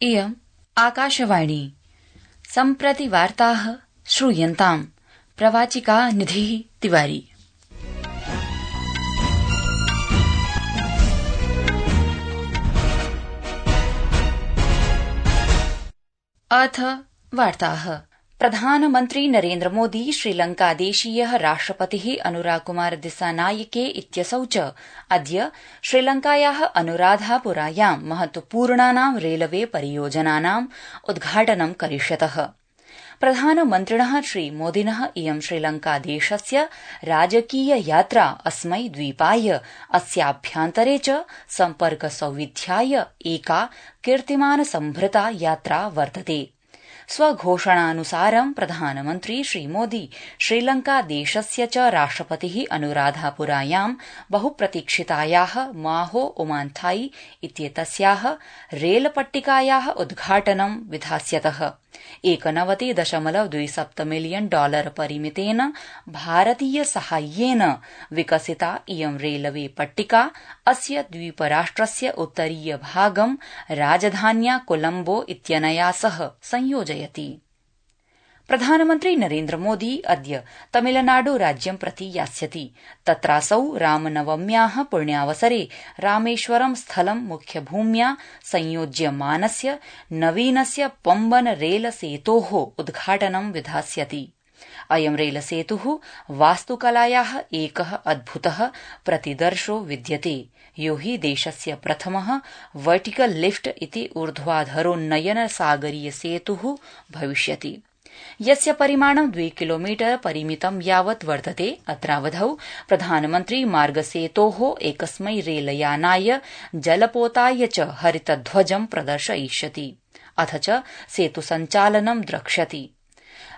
इयम् आकाशवाणी सम्प्रति वार्ताः श्रूयन्ताम् प्रवाचिका निधिः तिवारी। अथ वार्ताः। प्रधानमन्त्री नरेन्द्र मोदी श्रीलंकादेशीयः राष्ट्रपतिः अनुराकुमार दिस्सानायके इत्यसौ च अद्य श्रीलंकायाः अनुराधापुरायां महत्वपूर्णानां रेलवे परियोजनानाम् उद्घाटनं करिष्यतः। प्रधानमन्त्रिणः श्रीमोदिनः इयं श्रीलंकादेशस्य राजकीय यात्रा अस्मै द्वीपाय अस्याभ्यन्तरे च सम्पर्क सौविध्याय एका कीर्तिमान संभृता यात्रा वर्तते। स्वघोषणानुसारं प्रधानमन्त्री श्रीमोदी श्रीलंकादेशस्य च राष्ट्रपतिः अनुराधापुरायां बहुप्रतीक्षितायाः माहो ओमान्थाई इत्येतस्याः रेलपट्टिकायाः उद्घाटनं विधास्यतः। 91.27 मिलियन डॉलर परिमितेन भारतीय साहाय्येन विकसिता इयं रेलवे पट्टिका अस्य द्वीपराष्ट्रस्य उत्तरीय भागं राजधान्या कोलम्बो इत्यनया सह संयोजयति। प्रधानमन्त्री नरेन्द्र मोदी अद्य तमिलनाडु राज्यं प्रति यास्यति। तत्रासौ रामनवम्याः पुण्यावसरे रामेश्वरं स्थलं मुख्यभूम्या संयोज्यमानस्य नवीनस्य पम्बन रेलसेतोः उद्घाटनं विधास्यति। अयं रेलसेतुः वास्तुकलायाः एकः अद्भुतः प्रतिदर्शो विद्यते, यो हि देशस्य प्रथमः वर्टिकल लिफ्ट इति ऊर्ध्वाधरोन्नयन सागरीय सेतुः भविष्यति, यस्य परिमाणं 2 किलोमीटर परिमितं यावत् वर्तते। अत्रावधौ प्रधानमन्त्री मार्गसेतोः एकस्मै रेलयानाय जलपोताय च हरितध्वजं प्रदर्शयिष्यति, अथ च सेतुसञ्चालनं द्रक्ष्यति।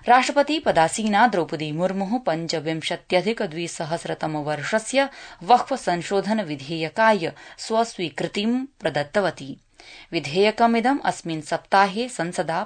राष्ट्रपति पदासीना द्रौपदी मुर्मुः 25,2000 वक्फ संशोधन विधेयकाय स्वस्वीकृतिं प्रदत्तवती। विधेयकमिदं अस्मिन् सप्ताहे संसदा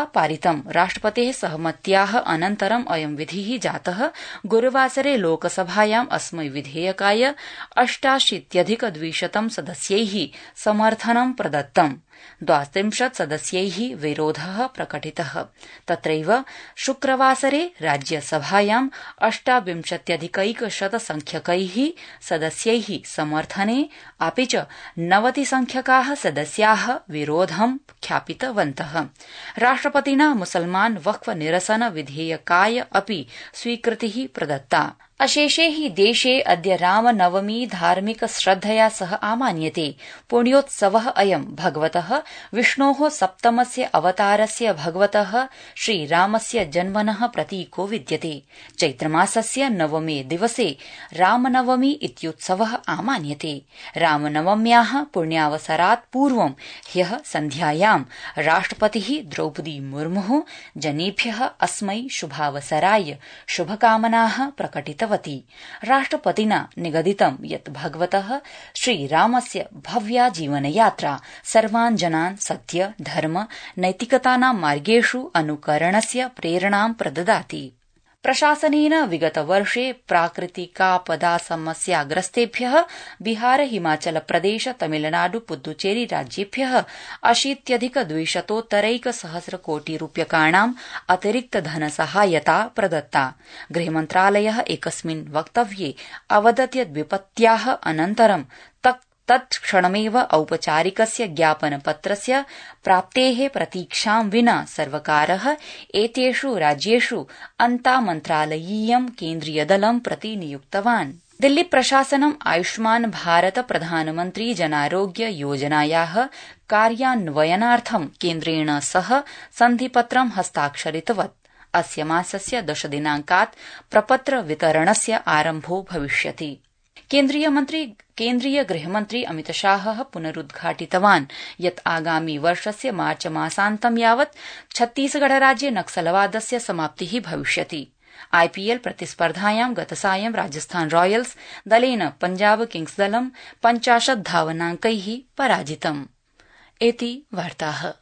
पारितं। राष्ट्रपतेः सहमत्याः अनन्तरं अयं विधिः जातः। गुरुवासरे लोकसभायाम् अस्मै विधेयकाय 88,200 सदस्यैः समर्थनं प्रदत्तम्। 32 सदस्यैः विरोधः प्रकटितः। तत्रैव शुक्रवासरे राज्यसभायां 28,100 संख्यकैः सदस्यैः समर्थने अपि च 90 संख्यकाः सदस्याः विरोधं ख्यापितवन्तः। राष्ट्रपतिना मुसलमान वक्फ निरसन विधेयकाय अपि स्वीकृतिः प्रदत्ता। अशेषे हि देशे अद्य रामनवमी धार्मिक श्रद्धया सह आमान्यते। पुण्योत्सवः अयं भगवतः विष्णोः सप्तमस्य अवतारस्य भगवतः श्रीरामस्य जन्मनः प्रतीको विद्यते। चैत्रमासस्य नवमे दिवसे रामनवमी इत्युत्सवः आमान्यते। रामनवम्याः पुण्यावसरात् पूर्वं ह्यः सन्ध्यायां राष्ट्रपतिः द्रौपदी मुर्मुः जनेभ्यः अस्मै शुभावसराय शुभकामनाः प्रकटितवती। राष्ट्रपतिना निगदितं यत् भगवतः श्रीरामस्य भव्या जीवनयात्रा सर्वान् जनान् सत्य, धर्म, नैतिकतानां मार्गेषु अनुकरणस्य प्रेरणां प्रददाति। प्रशासनेन विगतवर्षे प्राकृतिकापदा समस्याग्रस्तेभ्यः बिहार, हिमाचल प्रदेश, तमिलनाडु, पुद्दुचेरी राज्येभ्यः 80,200 कोटि रूप्यकाणाम् अतिरिक्त धनसहायता प्रदत्ता। गृहमन्त्रालयः एकस्मिन् वक्तव्ये अवदत् यत् विपत्त्याः अनन्तरं तत्क्षणमेव औपचारिकस्य ज्ञापनपत्रस्य प्राप्तेः प्रतीक्षां विना सर्वकारः एतेषु राज्येषु अन्तामन्त्रालयीयं केन्द्रीयदलं प्रति नियुक्तवान्। दिल्ली प्रशासनम् आयुष्मान् भारत प्रधानमन्त्री जनारोग्य योजनायाः कार्यान्वयनार्थं केन्द्रेण सह सन्धिपत्रं हस्ताक्षरितवत्। अस्य मासस्य 10 दिनाङ्कात् प्रपत्र वितरणस्य आरम्भो भविष्यति। केन्द्रीय गृहमन्त्री अमितशाहः पुनरुद्घाटितवान् यत् आगामी वर्षस्य मार्च मासान्तं यावत् छत्तीसगढ़ राज्ये नक्सलवादस्य समाप्तिः भविष्यति। आईपीएल प्रतिस्पर्धायां गतसायं राजस्थान रॉयल्स दलेन पंजाब किंग्स दलं 50 धावनाङ्कैः पराजितम्। इति वार्ताः।